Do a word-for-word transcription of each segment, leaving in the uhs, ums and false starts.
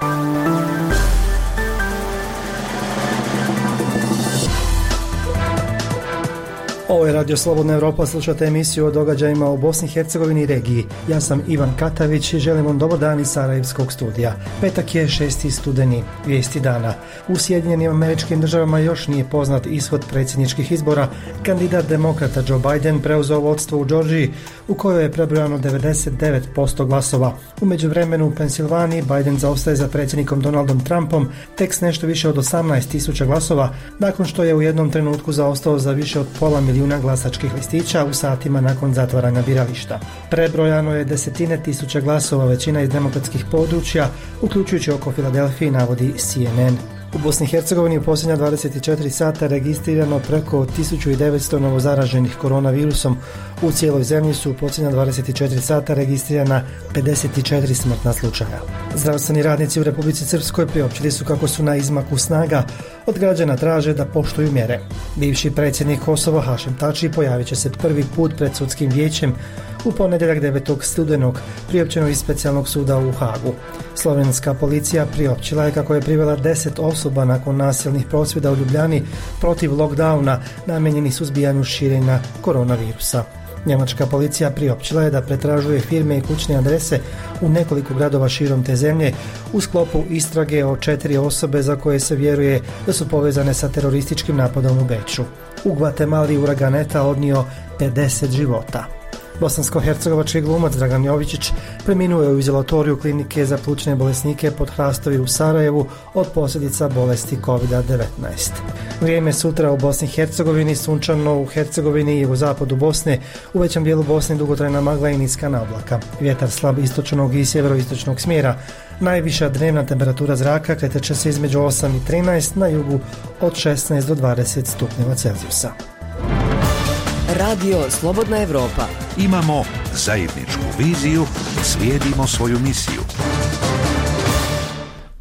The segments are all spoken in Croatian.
Ovo je Radio Slobodna Europa, slušate emisiju o događajima u Bosni i Hercegovini i regiji. Ja sam Ivan Katavić i želim vam dobar dan iz Sarajevskog studija. Petak je šesti studeni, vijesti dana. U Sjedinjenim Američkim Državama još nije poznat ishod predsjedničkih izbora. Kandidat demokrata Joe Biden preuzeo vodstvo u Georgiji, u kojoj je prebrojano devedeset devet posto glasova. U međuvremenu u Pensilvaniji Biden zaostaje za predsjednikom Donaldom Trumpom tek s nešto više od osamnaest tisuća glasova, nakon što je u jednom trenutku zaostao za više od pola milijuna glasačkih listića u satima nakon zatvaranja birališta. Prebrojano je desetine tisuća glasova, većina iz demokratskih područja, uključujući oko Filadelfije, navodi C N N. U Bosni i Hercegovini u posljednja dvadeset četiri sata registrirano preko tisuću devetsto novozaraženih koronavirusom. U cijeloj zemlji su u posljednja dvadeset četiri sata registrirana pedeset četiri smrtna slučaja. Zdravstveni radnici u Republici Srpskoj priopćili su kako su na izmaku snaga. Od građana traže da poštuju mjere. Bivši predsjednik Kosova Hašem Tači pojavit će se prvi put pred sudskim vijećem u ponedjeljak devetog studenog, priopćeno iz specijalnog suda u Hagu. Slovenska policija priopćila je kako je privela deset osoba nakon nasilnih prosvjeda u Ljubljani protiv lockdowna namijenjenih suzbijanju širenja koronavirusa. Njemačka policija priopćila je da pretražuje firme i kućne adrese u nekoliko gradova širom te zemlje u sklopu istrage o četiri osobe za koje se vjeruje da su povezane sa terorističkim napadom u Beču. U Gvatemali uragan Eta odnio pedeset života. Bosansko-hercegovački glumac Dragan Jovičić preminuo je u izolatoriju klinike za plućne bolesnike pod Hrastovi u Sarajevu od posljedica bolesti kovid devetnaest. Vrijeme sutra u Bosni i Hercegovini, sunčano u Hercegovini i u zapadu Bosne, u većem dijelu Bosne dugotrajna magla i niska oblaka. Vjetar slab istočnog i sjeveroistočnog smjera. Najviša dnevna temperatura zraka kretat će se između osam i trinaest, na jugu od šesnaest do dvadeset stupnjeva Celzijusa. Radio Slobodna Europa. Imamo zajedničku viziju, slijedimo svoju misiju.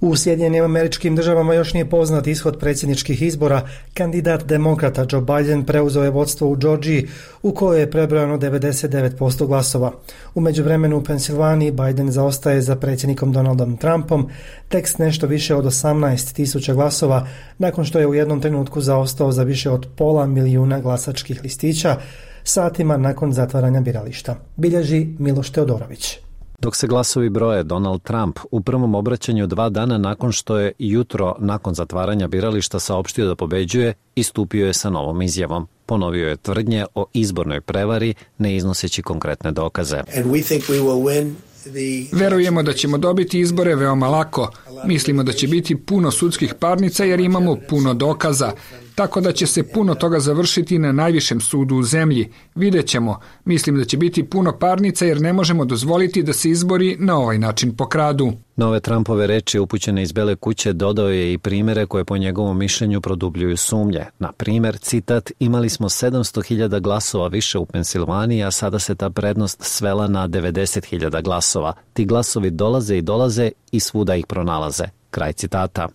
U Sjedinjenim Američkim Državama još nije poznat ishod predsjedničkih izbora. Kandidat demokrata Joe Biden preuzeo je vodstvo u Georgiji, u kojoj je prebrojano devedeset devet posto glasova. U međuvremenu u Pensilvaniji Biden zaostaje za predsjednikom Donaldom Trumpom tek s nešto više od osamnaest tisuća glasova, nakon što je u jednom trenutku zaostao za više od pola milijuna glasačkih listića satima nakon zatvaranja birališta. Bilježi Miloš Teodorović. Dok se glasovi broje, Donald Trump u prvom obraćanju dva dana nakon što je jutro nakon zatvaranja birališta saopštio da pobeđuje, istupio je sa novom izjavom. Ponovio je tvrdnje o izbornoj prevari, ne iznoseći konkretne dokaze. Verujemo da ćemo dobiti izbore veoma lako. Mislimo da će biti puno sudskih parnica jer imamo puno dokaza. Tako da će se puno toga završiti na najvišem sudu u zemlji. Vidjet ćemo. Mislim da će biti puno parnica jer ne možemo dozvoliti da se izbori na ovaj način pokradu. Nove Trumpove reči upućene iz Bele kuće dodao je i primjere koje po njegovom mišljenju produbljuju sumnje. Na primjer, citat, imali smo sedamsto hiljada glasova više u Pensilvaniji, a sada se ta prednost svela na devedeset hiljada glasova. Ti glasovi dolaze i dolaze i svuda ih pronalaze. Kraj citata.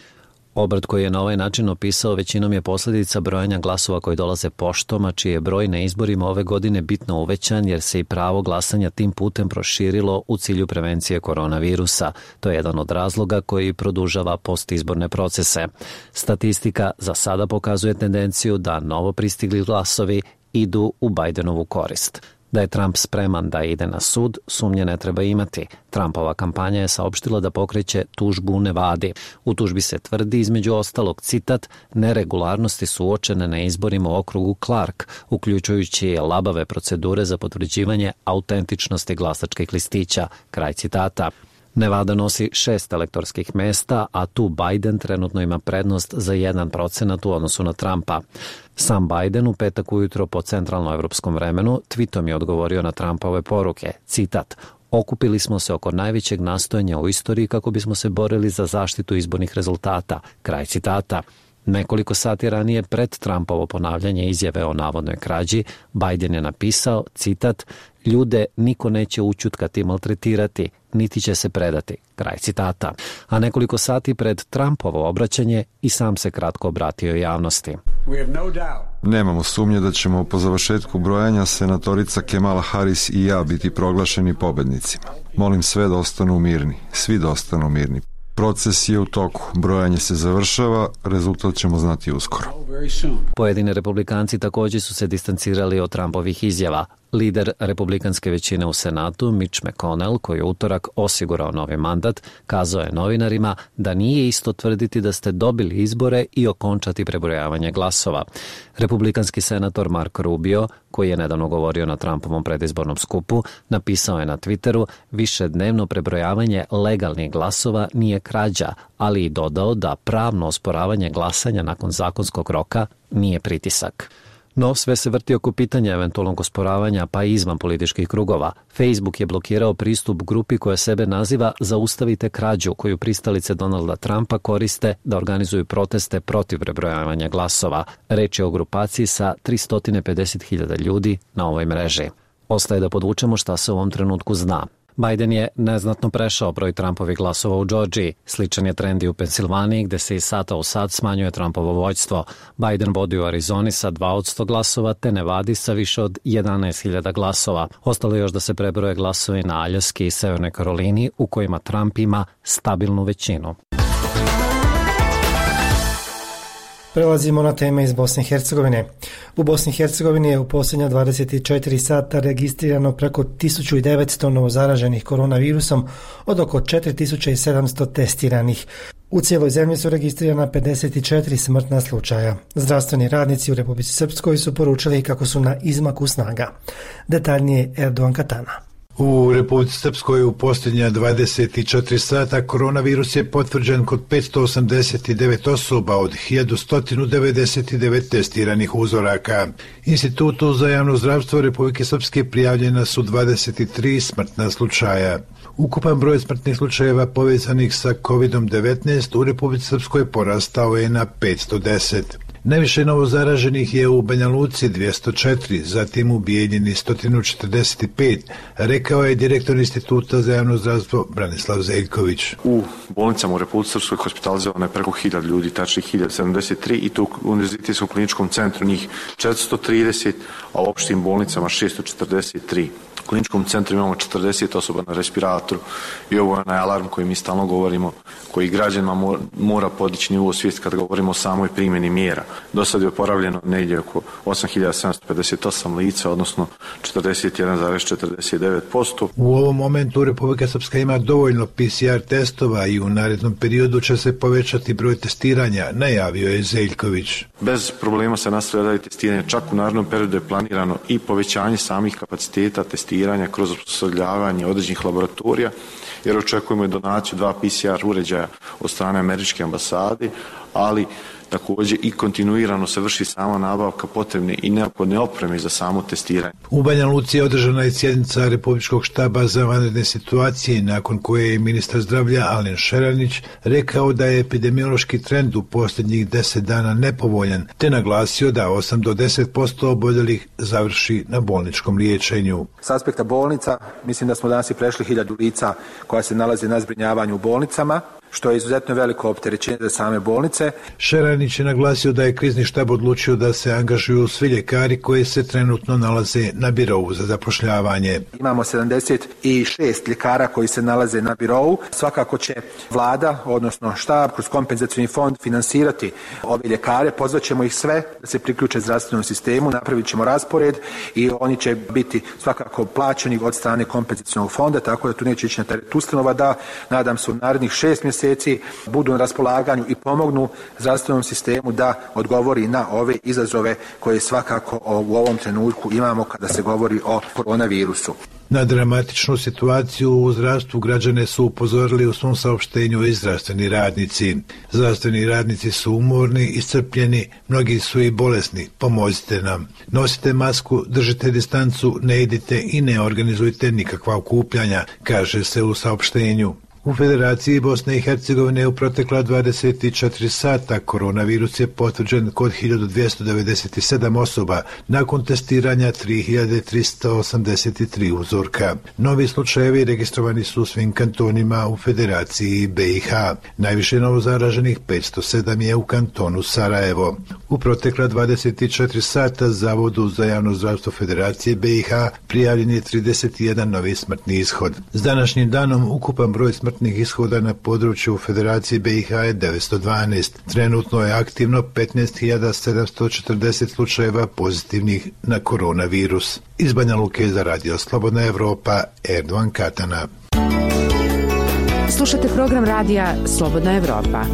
Obrt koji je na ovaj način opisao većinom je posljedica brojanja glasova koji dolaze poštom, a čiji je broj na izborima ove godine bitno uvećan jer se i pravo glasanja tim putem proširilo u cilju prevencije koronavirusa. To je jedan od razloga koji produžava postizborne procese. Statistika za sada pokazuje tendenciju da novo pristigli glasovi idu u Bidenovu korist. Da je Trump spreman da ide na sud, sumnje ne treba imati. Trumpova kampanja je saopštila da pokreće tužbu u Nevadi. U tužbi se tvrdi, između ostalog, citat, neregularnosti su uočene na izborima u okrugu Clark, uključujući labave procedure za potvrđivanje autentičnosti glasačkih listića. Kraj citata. Nevada nosi šest elektorskih mesta, a tu Biden trenutno ima prednost za jedan procenat u odnosu na Trumpa. Sam Biden u petak ujutro po centralnoevropskom vremenu tweetom je odgovorio na Trumpove poruke, citat, okupili smo se oko najvećeg nastojanja u istoriji kako bismo se borili za zaštitu izbornih rezultata, kraj citata. Nekoliko sati ranije pred Trumpovo ponavljanje izjave o navodnoj krađi, Biden je napisao, citat, ljude niko neće ućutkati i maltretirati, niti će se predati, kraj citata. A nekoliko sati pred Trumpovo obraćanje i sam se kratko obratio javnosti. Nemamo sumnje da ćemo po završetku brojanja senatorica Kamala Harris i ja biti proglašeni pobednicima. Molim sve da ostanu mirni, svi da ostanu mirni. Proces je u toku, brojanje se završava, rezultat ćemo znati uskoro. Pojedini republikanci također su se distancirali od Trumpovih izjava. Lider republikanske većine u Senatu, Mitch McConnell, koji je utorak osigurao novi mandat, kazao je novinarima da nije isto tvrditi da ste dobili izbore i okončati prebrojavanje glasova. Republikanski senator Marco Rubio, koji je nedavno govorio na Trumpovom predizbornom skupu, napisao je na Twitteru: višednevno prebrojavanje legalnih glasova nije krađa, ali i dodao da pravno osporavanje glasanja nakon zakonskog roka nije pritisak. No, sve se vrti oko pitanja eventualnog osporavanja, pa i izvan političkih krugova. Facebook je blokirao pristup grupi koja sebe naziva Zaustavite krađu, koju pristalice Donalda Trumpa koriste da organizuju proteste protiv prebrojavanja glasova. Reč je o grupaciji sa tristo pedeset hiljada ljudi na ovoj mreži. Ostaje da podvučemo šta se u ovom trenutku zna. Biden je neznatno prešao broj Trumpovih glasova u Džordžiji. Sličan je trend i u Pensilvaniji, gde se iz sata u sat smanjuje Trumpovo vođstvo. Biden vodi u Arizoni sa dva od sto glasova, te Nevadi sa više od jedanaest hiljada glasova. Ostalo je još da se prebroje glasovi na Aljaski i Severnoj Karolini, u kojima Trump ima stabilnu većinu. Prelazimo na teme iz Bosne i Hercegovine. U Bosni i Hercegovini je u posljednja dvadeset četiri sata registrirano preko tisuću devetsto novozaraženih koronavirusom od oko četiri tisuće sedamsto testiranih. U cijeloj zemlji su registrirana pedeset četiri smrtna slučaja. Zdravstveni radnici u Republici Srpskoj su poručili kako su na izmaku snaga. Detaljnije Erdogan Katana. U Republici Srpskoj u posljednja dvadeset četiri sata koronavirus je potvrđen kod petsto osamdeset devet osoba od hiljadu sto devedeset devet testiranih uzoraka. Institutu za javno zdravstvo Republike Srpske prijavljena su dvadeset tri smrtna slučaja. Ukupan broj smrtnih slučajeva povezanih sa kovid devetnaest u Republici Srpskoj porastao je na petsto deset. Najviše novozaraženih je u Banja Luci dvjesto četiri, zatim u Bijeljini sto četrdeset pet, rekao je direktor Instituta za javno zdravstvo Branislav Zeljković. U bolnicama u Republici Srpskoj hospitalizovano je preko hiljadu ljudi, tačnije hiljadu sedamdeset tri, i to u Univerzitetskom kliničkom centru njih četiristo trideset, a u opštim bolnicama šesto četrdeset tri. U kliničkom centru imamo četrdeset osoba na respiratoru i ovo je onaj alarm koji mi stalno govorimo, koji građanima mora podići nivo svijesti kad govorimo o samoj primjeni mjera. Do sad je oporavljeno negdje oko osam hiljada sedamsto pedeset osam lica, odnosno četrdeset jedan zarez četrdeset devet posto. U ovom momentu Republika Srpska ima dovoljno P C R testova i u narednom periodu će se povećati broj testiranja, najavio je Zeljković. Bez problema se nastavlja dalje testiranje, čak u narednom periodu je planirano i povećanje samih kapaciteta testiranja kroz osposobljavanje određenih laboratorija, jer očekujemo i donaciju dva P C R uređaja od strane američke ambasade, ali također i kontinuirano se vrši sama nabavka potrebne i neophodne opreme za samo testiranje. U Banja Luci je održana je sjednica Republičkog štaba za vanredne situacije, nakon koje je ministar zdravlja Alen Šeranić rekao da je epidemiološki trend u posljednjih deset dana nepovoljan, te naglasio da osam do deset posto oboljelih završi na bolničkom liječenju. S aspekta bolnica, mislim da smo danas i prešli hiljadu lica koja se nalaze na zbrinjavanju u bolnicama, što je izuzetno veliko opterećenje za same bolnice. Šeranić je naglasio da je krizni štab odlučio da se angažuju svi ljekari koji se trenutno nalaze na birovu za zapošljavanje. Imamo sedamdeset šest ljekara koji se nalaze na birovu. Svakako će vlada, odnosno štab, kroz kompenzacioni fond finansirati ove ljekare. Pozvaćemo ih sve da se priključe zdravstvenom sistemu, napravit ćemo raspored i oni će biti svakako plaćeni od strane kompenzacionog fonda, tako da tu neće ići na teret ustanova, da nadam se u narednih šest mjeseci budu na raspolaganju i pomognu zdravstvenom sistemu da odgovori na ove izazove koje svakako u ovom trenutku imamo kada se govori o koronavirusu. Na dramatičnu situaciju u zdravstvu građane su upozorili u svom saopštenju i zdravstveni radnici. Zdravstveni radnici su umorni, iscrpljeni, mnogi su i bolesni. Pomozite nam. Nosite masku, držite distancu, ne idite i ne organizujte nikakva okupljanja, kaže se u saopštenju. U Federaciji Bosne i Hercegovine u protekla dvadeset četiri sata koronavirus je potvrđen kod hiljadu dvjesto devedeset sedam osoba, nakon testiranja tri hiljade tristo osamdeset tri uzorka. Novi slučajevi registrovani su u svim kantonima u Federaciji B i H. Najviše novozaraženih petsto sedam je u kantonu Sarajevo. U protekla dvadeset četiri sata Zavodu za javno zdravstvo Federacije B i H prijavljen je trideset jedan novi smrtni ishod. S današnjim danom ukupan broj smrtnih smrtnih ishoda na području Federacije B i H je devetsto dvanaest. Trenutno je aktivno petnaest hiljada sedamsto četrdeset slučajeva pozitivnih na koronavirus. Iz Banja Luke za Radio Slobodna Evropa, Erdovan Katana. Slušate program radija Slobodna Evropa.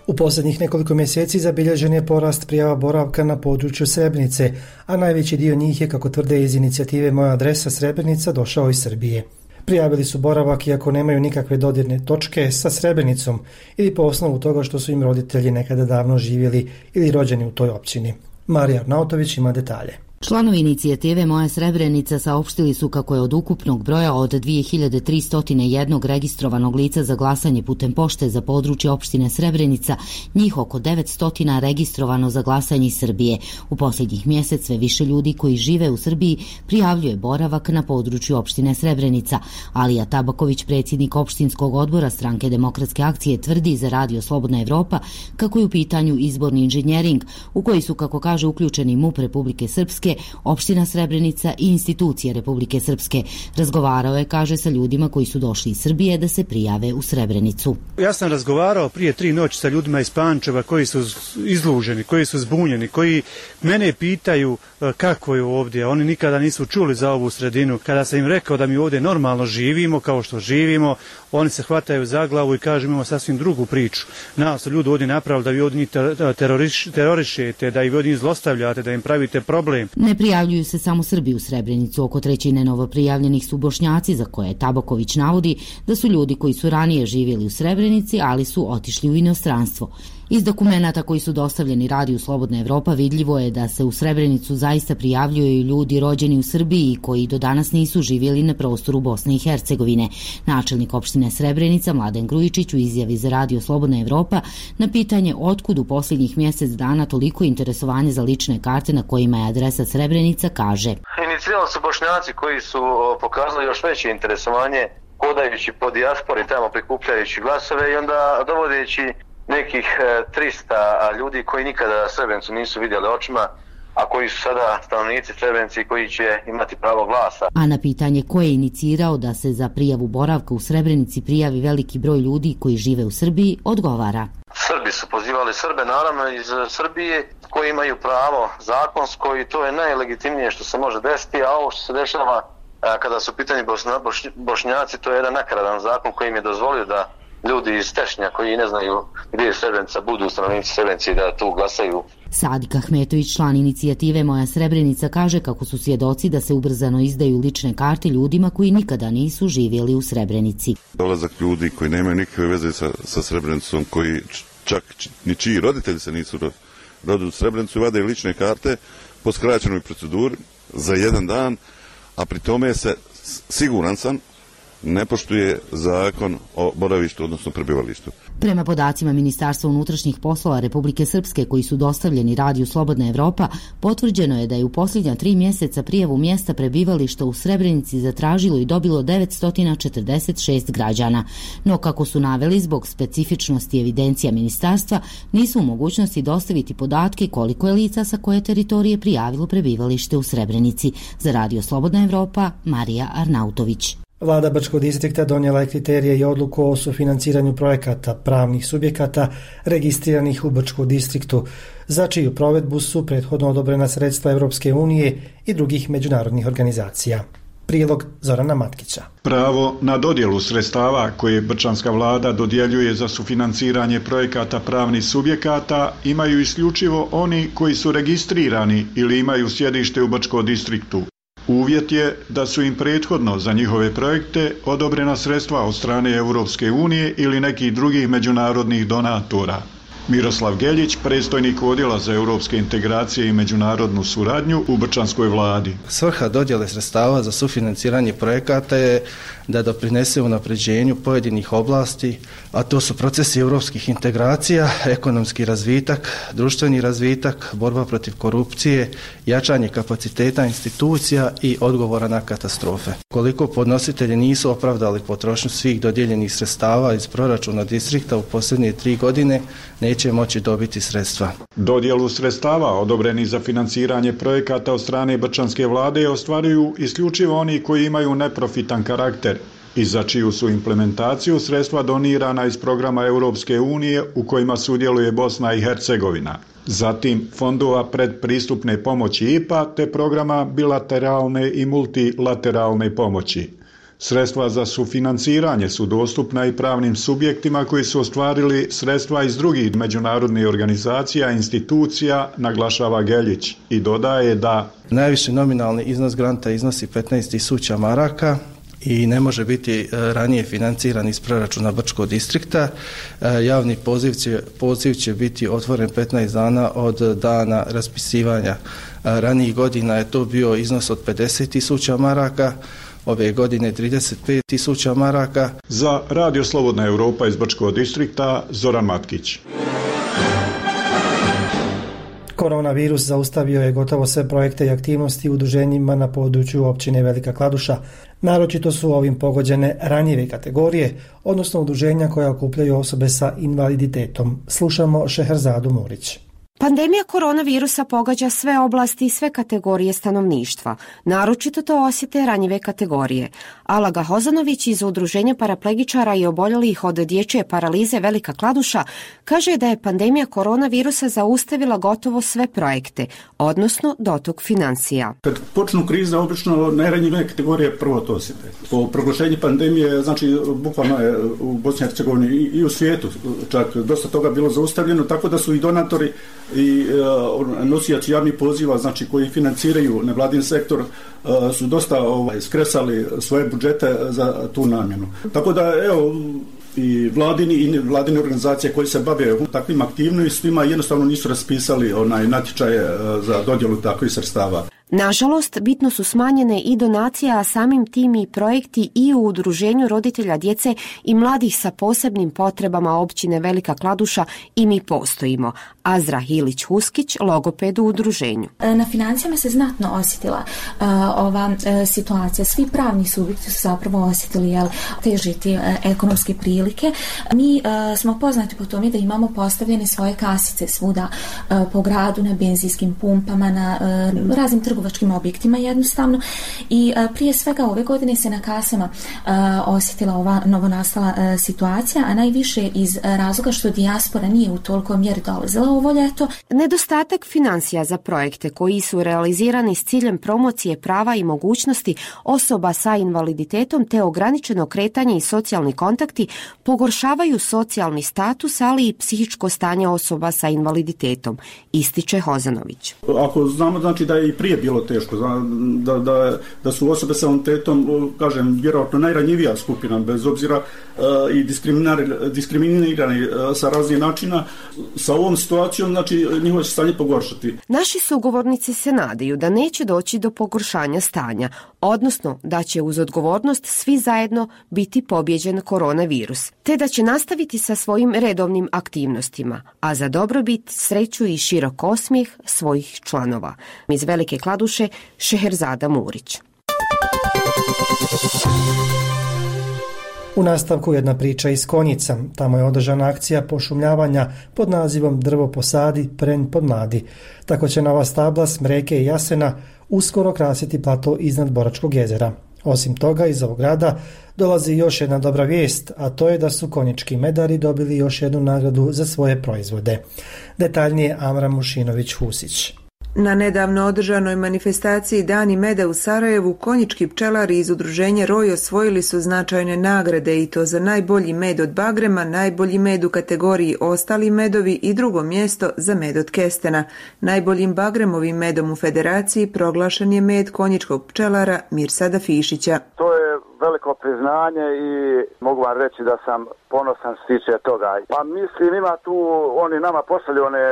U posljednjih nekoliko mjeseci zabilježen je porast prijava boravka na području Srebrenice, a najveći dio njih je, kako tvrde iz inicijative Moja adresa Srebrenica, došao iz Srbije. Prijavili su boravak iako nemaju nikakve dodirne točke sa Srebrenicom ili po osnovu toga što su im roditelji nekada davno živjeli ili rođeni u toj općini. Marija Arnautović ima detalje. Članovi inicijative Moja Srebrenica saopštili su kako je od ukupnog broja od dvije hiljade tristo jedan registrovanog lica za glasanje putem pošte za područje opštine Srebrenica, njih oko devetsto registrovano za glasanje iz Srbije. U posljednjih mjesec sve više ljudi koji žive u Srbiji prijavljuje boravak na području opštine Srebrenica. Alija Tabaković, predsjednik opštinskog odbora Stranke demokratske akcije, tvrdi za Radio Slobodna Evropa kako je u pitanju izborni inženjering u koji su, kako kaže, uključeni M U P Republike Srpske, opština Srebrenica i institucije Republike Srpske. Razgovarao je, kaže, sa ljudima koji su došli iz Srbije da se prijave u Srebrenicu. Ja sam razgovarao prije tri noći sa ljudima iz Pančeva koji su izluženi, koji su zbunjeni, koji mene pitaju kako je ovdje. Oni nikada nisu čuli za ovu sredinu. Kada sam im rekao da mi ovdje normalno živimo, kao što živimo, oni se hvataju za glavu i kažu imamo sasvim drugu priču. Nas su ljudi ovdje napravili da vi ovdje teroriš, terorišete, da ih ovdje zlostavljate, da im pravite problem. Ne prijavljuju se samo Srbi u Srebrenicu. Oko trećine novoprijavljenih su Bošnjaci, za koje Tabaković navodi da su ljudi koji su ranije živjeli u Srebrenici, ali su otišli u inostranstvo. Iz dokumenata koji su dostavljeni Radiju Slobodna Evropa vidljivo je da se u Srebrenicu zaista prijavljuju ljudi rođeni u Srbiji koji do danas nisu živjeli na prostoru Bosne i Hercegovine. Načelnik opštine Srebrenica Mladen Grujičić u izjavi za Radio Slobodna Evropa na pitanje otkud u posljednjih mjesec dana toliko interesovanje za lične karte na kojima je adresa Srebrenica kaže: Inicirali su Bošnjaci koji su pokazali još veće interesovanje hodajući po dijaspori tamo prikupljajući glasove i onda dovodeći nekih trista ljudi koji nikada Srebrenicu nisu vidjeli očima, a koji su sada stanovnici Srebrenici koji će imati pravo glasa. A na pitanje ko je inicirao da se za prijavu boravka u Srebrenici prijavi veliki broj ljudi koji žive u Srbiji, odgovara: Srbi su pozivali Srbe, naravno iz Srbije, koji imaju pravo zakonsko i to je najlegitimnije što se može desiti, a ovo što se dešava kada su pitanje Bošnjaci, to je jedan nakaradan zakon koji im je dozvolio da ljudi iz Tešnja koji ne znaju gdje je Srebrenica budu stanovnici Srebrenici da tu glasaju. Sadik Ahmetović, član inicijative Moja Srebrenica, kaže kako su svjedoci da se ubrzano izdaju lične karte ljudima koji nikada nisu živjeli u Srebrenici. Dolazak ljudi koji nemaju nikakve veze sa, sa Srebrenicom, koji čak ni čiji roditelji se nisu rodili u Srebrenicu, vade lične karte po skraćenoj proceduri za jedan dan, a pri tome se, siguran sam, ne poštuje zakon o boravištu, odnosno prebivalištu. Prema podacima Ministarstva unutrašnjih poslova Republike Srpske koji su dostavljeni Radiju Slobodna Evropa, potvrđeno je da je u posljednja tri mjeseca prijavu mjesta prebivališta u Srebrenici zatražilo i dobilo devetsto četrdeset šest građana. No, kako su naveli, zbog specifičnosti evidencija ministarstva, nisu u mogućnosti dostaviti podatke koliko je lica sa koje teritorije prijavilo prebivalište u Srebrenici. Za Radio Slobodna Evropa, Marija Arnautović. Vlada Brčkog distrikta donijela je kriterije i odluku o sufinanciranju projekata pravnih subjekata registriranih u Brčkom distriktu, za čiju provedbu su prethodno odobrena sredstva Europske unije i drugih međunarodnih organizacija. Prilog Zorana Matkića. Pravo na dodjelu sredstava koje brčanska vlada dodjeljuje za sufinanciranje projekata pravnih subjekata imaju isključivo oni koji su registrirani ili imaju sjedište u Brčkom distriktu. Uvjet je da su im prethodno za njihove projekte odobrena sredstva od strane Europske unije ili nekih drugih međunarodnih donatora. Miroslav Geljić, predstojnik odjela za europske integracije i međunarodnu suradnju u brčanskoj vladi. Svrha dodjele sredstava za sufinanciranje projekata je da doprinese unapređenju pojedinih oblasti, a to su procesi europskih integracija, ekonomski razvitak, društveni razvitak, borba protiv korupcije, jačanje kapaciteta institucija i odgovora na katastrofe. Koliko podnositelji nisu opravdali potrošnju svih dodijeljenih sredstava iz proračuna distrikta u posljednje tri godine, neće moći dobiti sredstva. Dodjelu sredstava odobrenih za financiranje projekata od strane brčanske vlade ostvaruju isključivo oni koji imaju neprofitan karakter i za čiju su implementaciju sredstva donirana iz programa Europske unije u kojima sudjeluje Bosna i Hercegovina. Zatim fondova predpristupne pomoći I P A te programa bilateralne i multilateralne pomoći. Sredstva za sufinanciranje su dostupna i pravnim subjektima koji su ostvarili sredstva iz drugih međunarodnih organizacija i institucija, naglašava Geljić i dodaje da najviši nominalni iznos granta iznosi petnaest tisuća maraka i ne može biti ranije financiran iz proračuna Brčkog distrikta. Javni poziv će, poziv će biti otvoren petnaest dana od dana raspisivanja. Ranijih godina je to bio iznos od pedeset tisuća maraka, ove godine trideset pet tisuća maraka. Za Radio Slobodna Europa iz Brčkog distrikta, Zoran Matkić. Koronavirus zaustavio je gotovo sve projekte i aktivnosti u udruženjima na području općine Velika Kladuša. Naročito su ovim pogođene ranjive kategorije, odnosno udruženja koja okupljaju osobe sa invaliditetom. Slušamo Šeherzadu Murić. Pandemija koronavirusa pogađa sve oblasti i sve kategorije stanovništva. Naročito to osjete ranjive kategorije. Alaga Hozanović iz Udruženja paraplegičara i oboljelih od dječje paralize Velika Kladuša kaže da je pandemija koronavirusa zaustavila gotovo sve projekte, odnosno dotok financija. Kad počnu krize, obično najranjivije kategorije prvo to osjete. Po proglašenju pandemije, znači bukvalno je u Bosni i Hercegovini i u svijetu čak dosta toga bilo zaustavljeno, tako da su i donatori i uh, nosioci javnih poziva, znači koji financiraju nevladin sektor, uh, su dosta ovaj, skresali svoje budžete za tu namjenu. Tako da, evo, i vladini i vladine organizacije koje se bave takvim aktivnostima jednostavno nisu raspisali onaj natječaje uh, za dodjelu takvih sredstava. Nažalost, bitno su smanjene i donacije, a samim tim i projekti i u Udruženju roditelja djece i mladih sa posebnim potrebama općine Velika Kladuša i mi postojimo. Azra Hilić-Huskić, logoped u udruženju. Na financijama se znatno osjetila uh, ova uh, situacija. Svi pravni subjekti su zapravo osjetili jel, težiti uh, ekonomske prilike. Mi uh, smo poznati po tome da imamo postavljene svoje kasice svuda uh, po gradu, na benzinskim pumpama, na uh, raznim trgovačkim objektima jednostavno i uh, prije svega ove godine se na kasama uh, osjetila ova novonastala uh, situacija, a najviše iz uh, razloga što dijaspora nije u toliko mjeri dolazila ovo ljeto. Nedostatak financija za projekte koji su realizirani s ciljem promocije prava i mogućnosti osoba sa invaliditetom te ograničeno kretanje i socijalni kontakti pogoršavaju socijalni status, ali i psihičko stanje osoba sa invaliditetom, ističe Hozanović. Ako znamo znači da je i prije bilo teško, da, da, da su osobe sa invaliditetom, kažem, vjerojatno najranjivija skupina, bez obzira uh, i diskriminirani uh, sa raznih načina, sa ovom situacijom, znači njihovo će stanje pogoršati. Naši sugovornici se nadaju da neće doći do pogoršanja stanja, odnosno da će uz odgovornost svi zajedno biti pobjeđen koronavirus, te da će nastaviti sa svojim redovnim aktivnostima, a za dobrobit, sreću i širok osmijeh svojih članova. Iz Velike Kladuše, Šeherzada Murić. U nastavku jedna priča iz Konjica. Tamo je održana akcija pošumljavanja pod nazivom Drvo posadi, pren podmladi. Tako će nova stabla, smreke i jasena uskoro krasiti plato iznad Boračkog jezera. Osim toga, iz ovog grada dolazi još jedna dobra vijest, a to je da su konjički medari dobili još jednu nagradu za svoje proizvode. Detaljnije Amra Mušinović-Husić. Na nedavno održanoj manifestaciji Dani meda u Sarajevu konjički pčelari iz udruženja Roj osvojili su značajne nagrade i to za najbolji med od bagrema, najbolji med u kategoriji ostali medovi i drugo mjesto za med od kestena. Najboljim bagremovim medom u federaciji proglašen je med konjičkog pčelara Mirsada Fišića. To je veliko priznanje i mogu vam reći da sam ponosan što se tiče toga. Pa mislim ima tu, oni nama pošalju one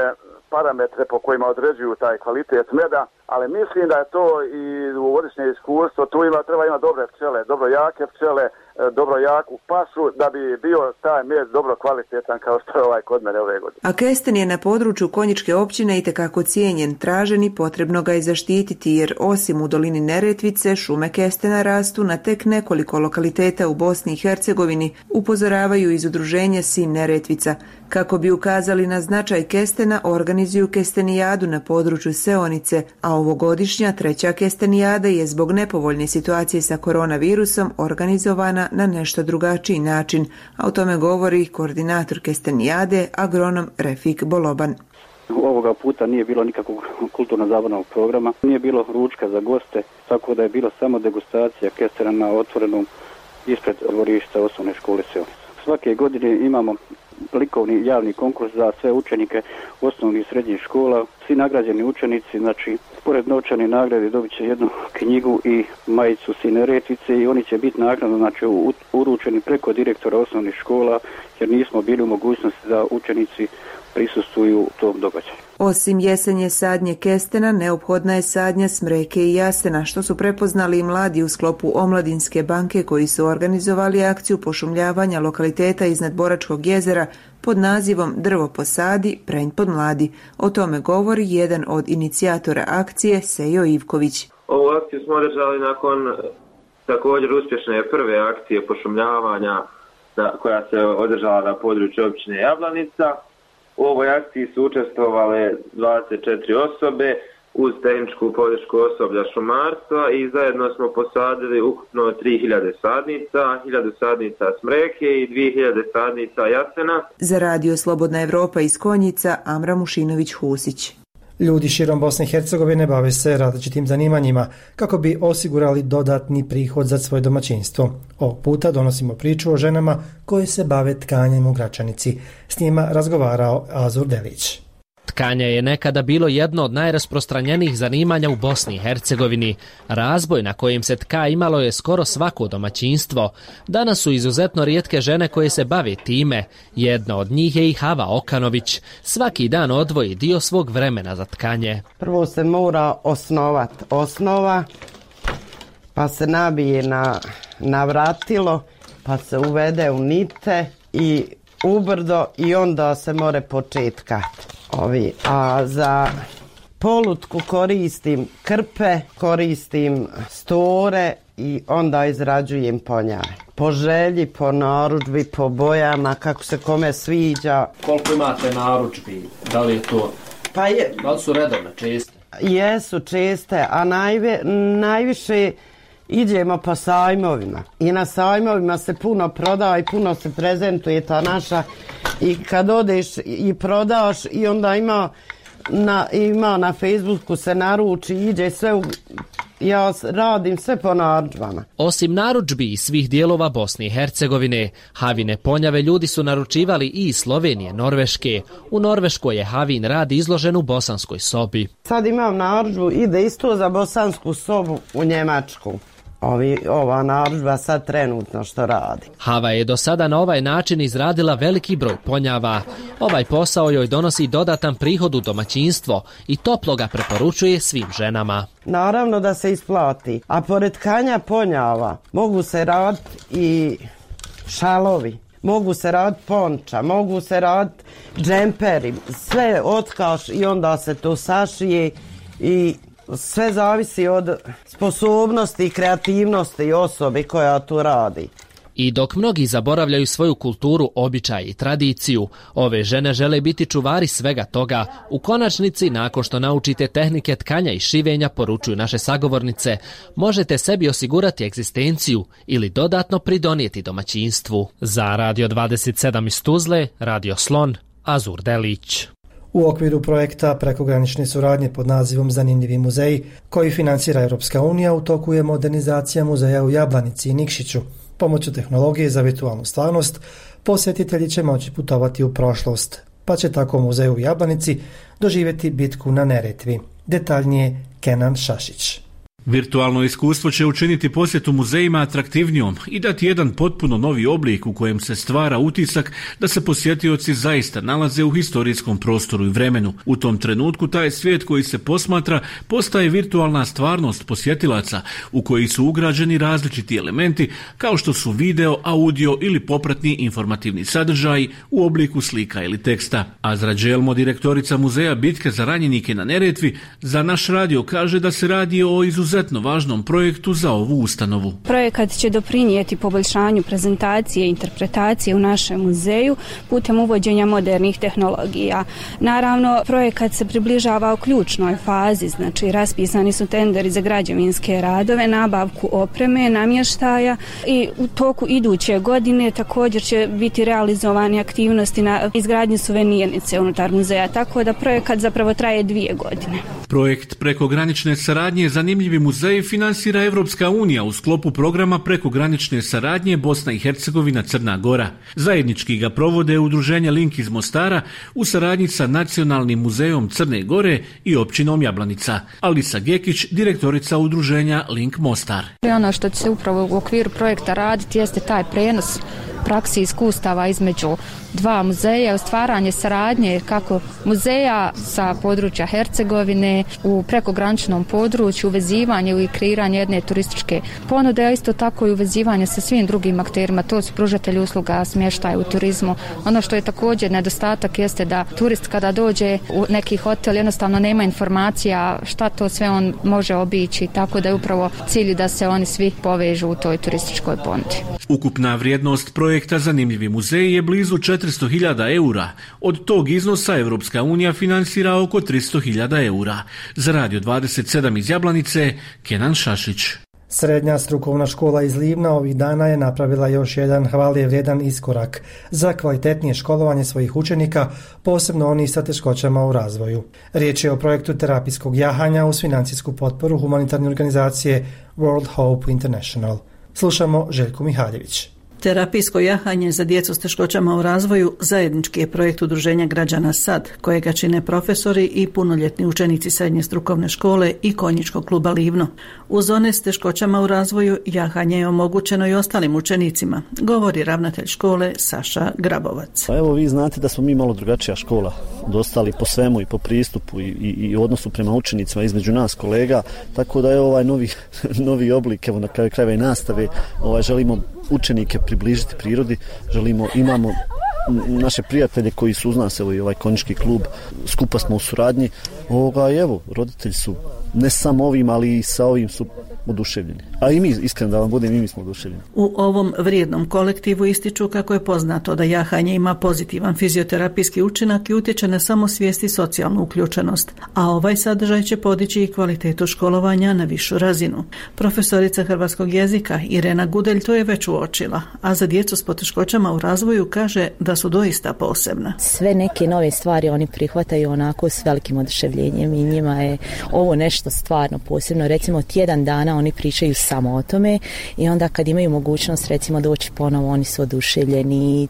parametre po kojima određuju taj kvalitet meda, ali mislim da je to i dugogodišnje iskustvo, tu ima, treba imati dobre pčele, dobro jake pčele, dobro jaku pašu, da bi bio taj med dobro kvalitetan kao što je ovaj kod mene ove godine. A kesten je na području Konjičke općine itekako cijenjen, tražen i potrebno ga je zaštititi, jer osim u dolini Neretvice, šume kestena rastu na tek nekoliko lokaliteta u Bosni i Hercegovini, upozoravaju iz udruženja Sin Neretvica. Kako bi ukazali na značaj kestena, organizuju kestenijadu na području Seonice, a ovogodišnja treća kestenijada je zbog nepovoljne situacije sa koronavirusom organizovana na nešto drugačiji način, a o tome govori koordinator kestenijade, agronom Refik Boloban. Ovoga puta nije bilo nikakvog kulturno-zabavnog programa, nije bilo ručka za goste, tako da je bila samo degustacija kestena na otvorenom ispred dvorišta osnovne škole Seonica. Svake godine imamo likovni javni konkurs za sve učenike osnovnih i srednjih škola. Svi nagrađeni učenici, znači, pored novčane nagrade dobit će jednu knjigu i majicu Sine Retvice i oni će biti naknadno, znači, uručeni preko direktora osnovnih škola, jer nismo bili u mogućnosti da učenici prisustvuju tom događaju. Osim jesenje sadnje kestena, neophodna je sadnja smreke i jasena, što su prepoznali i mladi u sklopu Omladinske banke koji su organizovali akciju pošumljavanja lokaliteta iznad Boračkog jezera pod nazivom Drvo posadi, prenj podmladi. O tome govori jedan od inicijatora akcije, Sejo Ivković. Ovu akciju smo održali nakon također uspješne prve akcije pošumljavanja koja se održala na području općine Jablanica. U ovoj akciji su učestvovale dvadeset četiri osobe uz tehničku podršku osoblja šumarstva i zajedno smo posadili ukupno tri hiljade sadnica, hiljadu sadnica smreke i dvije hiljade sadnica jasena. Za radio Slobodna Evropa iz Konjica, Amra Mušinović-Husić. Ljudi širom Bosne i Hercegovine bave se različitim zanimanjima kako bi osigurali dodatni prihod za svoje domaćinstvo. Ovog puta donosimo priču o ženama koje se bave tkanjem u Gračanici. S njima razgovarao Azur Delić. Tkanje je nekada bilo jedno od najrasprostranjenijih zanimanja u Bosni i Hercegovini. Razboj na kojem se tka imalo je skoro svako domaćinstvo. Danas su izuzetno rijetke žene koje se bave time. Jedna od njih je i Hava Okanović. Svaki dan odvoji dio svog vremena za tkanje. Prvo se mora osnovat osnova, pa se nabije na, na vratilo, pa se uvede u nite i ubrdo i onda se more početka. Ovi, a za polutku koristim krpe, koristim store i onda izrađujem ponjave. Po želji, po narudžbi, po bojama, kako se kome sviđa. Koliko imate narudžbi? Da li je to? Pa je, da li su redovne, česte? Jesu česte, a najve, najviše idemo po sajmovima. I na sajmovima se puno proda i puno se prezentuje ta naša. I kad odeš i prodaš i onda ima na, ima na Facebooku se naruči, ide sve u, ja radim sve po narudžbama. Osim narudžbi i svih dijelova Bosne i Hercegovine, Havine ponjave ljudi su naručivali i iz Slovenije, Norveške. U Norveškoj je Havin rad izložen u bosanskoj sobi. Sad imam narudžbu, ide isto za bosansku sobu u Njemačku. Ovi, ova narudžba sad trenutno što radi. Hava je do sada na ovaj način izradila veliki broj ponjava. Ovaj posao joj donosi dodatan prihod u domaćinstvo i toplo ga preporučuje svim ženama. Naravno da se isplati, a pored tkanja ponjava mogu se raditi i šalovi, mogu se raditi ponča, mogu se raditi džemperi, sve otkaš i onda se to sašije i sve zavisi od sposobnosti i kreativnosti osobe koja to radi. I dok mnogi zaboravljaju svoju kulturu, običaj i tradiciju, ove žene žele biti čuvari svega toga. U konačnici, nakon što naučite tehnike tkanja i šivenja, poručuju naše sagovornice, možete sebi osigurati egzistenciju ili dodatno pridonijeti domaćinstvu. Za Radio dvadeset sedam iz Tuzle, Radio Slon, Azur Delić. U okviru projekta prekogranične suradnje pod nazivom Zanimljivi muzeji, koji financira Europska unija, u toku je modernizacija muzeja u Jablanici i Nikšiću. Pomoću tehnologije za virtualnu stvarnost, posjetitelji će moći putovati u prošlost, pa će tako muzej u Jablanici doživjeti bitku na Neretvi. Detaljnije Kenan Šašić. Virtualno iskustvo će učiniti posjetu muzejima atraktivnijom i dati jedan potpuno novi oblik u kojem se stvara utisak da se posjetioci zaista nalaze u historijskom prostoru i vremenu. U tom trenutku taj svijet koji se posmatra postaje virtualna stvarnost posjetilaca u koji su ugrađeni različiti elementi kao što su video, audio ili popratni informativni sadržaji u obliku slika ili teksta. Azra Đelmo, direktorica muzeja Bitke za ranjenike na Neretvi, za naš radio kaže da se radi o izuzetnom izuzetno važnom projektu za ovu ustanovu. Projekat će doprinijeti poboljšanju prezentacije i interpretacije u našem muzeju putem uvođenja modernih tehnologija. Naravno, projekat se približava u ključnoj fazi, znači raspisani su tenderi za građevinske radove, nabavku opreme, namještaja i u toku iduće godine također će biti realizovane aktivnosti na izgradnji suvenirnice unutar muzeja, tako da projekat zapravo traje dvije godine. Projekt prekogranične saradnje Zanimljivi muzeji finansira Evropska unija u sklopu programa prekogranične saradnje Bosna i Hercegovina Crna Gora. Zajednički ga provode udruženje Link iz Mostara u saradnji sa Nacionalnim muzejom Crne Gore i općinom Jablanica. Alisa Gekić, direktorica udruženja Link Mostar. Ono što će se upravo u okviru projekta raditi jeste taj prenos praksi iskustava između dva muzeja, stvaranje saradnje kako muzeja sa područja Hercegovine u prekograničnom području, uvezivanje i kreiranje jedne turističke ponude, a isto tako i uvezivanje sa svim drugim akterima, to su pružatelji usluga smještaja u turizmu. Ono što je također nedostatak jeste da turist kada dođe u neki hotel jednostavno nema informacija šta to sve on može obići, tako da je upravo cilj da se oni svi povežu u toj turističkoj ponudi. Ukupna vrijednost projekta Zanimljivi muzeji je blizu četiristo hiljada eura. Od tog iznosa Evropska unija finansira oko tristo hiljada eura. Za Radio dvadeset sedam iz Jablanice, Kenan Šašić. Srednja strukovna škola iz Livna ovih dana je napravila još jedan hvale vrijedan iskorak za kvalitetnije školovanje svojih učenika, posebno onih sa teškoćama u razvoju. Riječ je o projektu terapijskog jahanja uz financijsku potporu humanitarne organizacije World Hope International. Slušamo Željku Mihaljević. Terapijsko jahanje za djecu s teškoćama u razvoju zajednički je projekt Udruženja građana S A D, kojega čine profesori i punoljetni učenici srednje strukovne škole i konjičkog kluba Livno. Uz one s teškoćama u razvoju jahanje je omogućeno i ostalim učenicima, govori ravnatelj škole Saša Grabovac. Pa evo, vi znate da smo mi malo drugačija škola, dostali po svemu i po pristupu i, i, i odnosu prema učenicima između nas kolega, tako da je ovaj novi, novi oblik, evo na kraju krajeva i nastave, ovaj, želimo učenike približiti prirodi, želimo, imamo naše prijatelje koji su uz nas, evo i ovaj konjički klub, skupa smo u suradnji, ovoga, evo, roditelji su ne samo ovim, ali i sa ovim su oduševljeni. A i mi, iskreno da vam budem, i mi smo oduševljeni. U ovom vrijednom kolektivu ističu kako je poznato da jahanje ima pozitivan fizioterapijski učinak i utječe na samosvijest i socijalnu uključenost, a ovaj sadržaj će podići i kvalitetu školovanja na višu razinu. Profesorica hrvatskog jezika Irena Gudelj to je već uočila, a za djecu s poteškoćama u razvoju kaže da su doista posebna. Sve neke nove stvari oni prihvataju onako s velikim oduševljenjem i njima je ovo nešto stvarno posebno. Recimo tjedan dana oni pričaju samo o tome i onda kad imaju mogućnost recimo doći ponovo, oni su oduševljeni,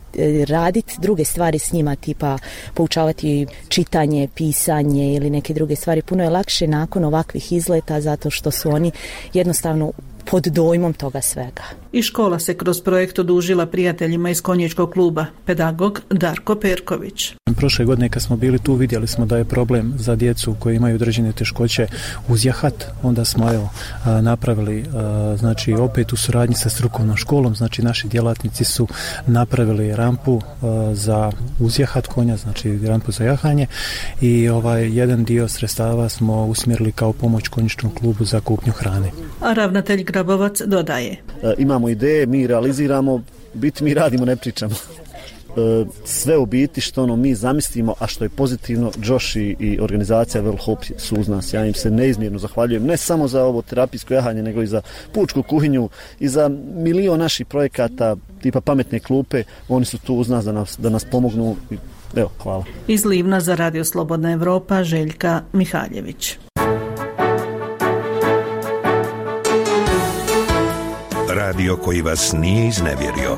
raditi druge stvari s njima, tipa poučavati čitanje, pisanje ili neke druge stvari. Puno je lakše nakon ovakvih izleta zato što su oni jednostavno pod dojmom toga svega. I škola se kroz projekt odužila prijateljima iz konjičkog kluba, pedagog Darko Perković. Prošle godine kad smo bili tu vidjeli smo da je problem za djecu koji imaju određene teškoće uzjahat, onda smo evo napravili znači opet u suradnji sa strukovnom školom, znači naši djelatnici su napravili rampu za uzjahat konja, znači rampu za jahanje i ovaj jedan dio sredstava smo usmjerili kao pomoć konjičkom klubu za kupnju hrane. A ravnatelj Grabovac dodaje. Imamo ideje, mi realiziramo, biti mi radimo, ne pričamo. Sve u biti što ono mi zamislimo, a što je pozitivno, Josh i, i organizacija World Hope su uz nas. Ja im se neizmjerno zahvaljujem, ne samo za ovo terapijsko jahanje, nego i za pučku kuhinju i za milion naših projekata tipa pametne klupe. Oni su tu uz nas da nas, da nas pomognu. Evo, hvala. Iz Livna za Radio Slobodna Evropa, Željka Mihaljević. Radio koji vas nije iznevjerio.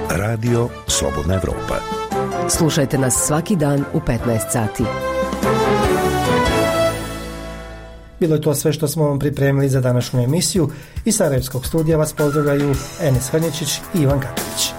Radio Slobodna Evropa. Slušajte nas svaki dan u petnaest sati. Bilo je to sve što smo vam pripremili za današnju emisiju. Iz Sarajevskog studija vas pozdravljaju Enes Hrnječić i Ivan Katović.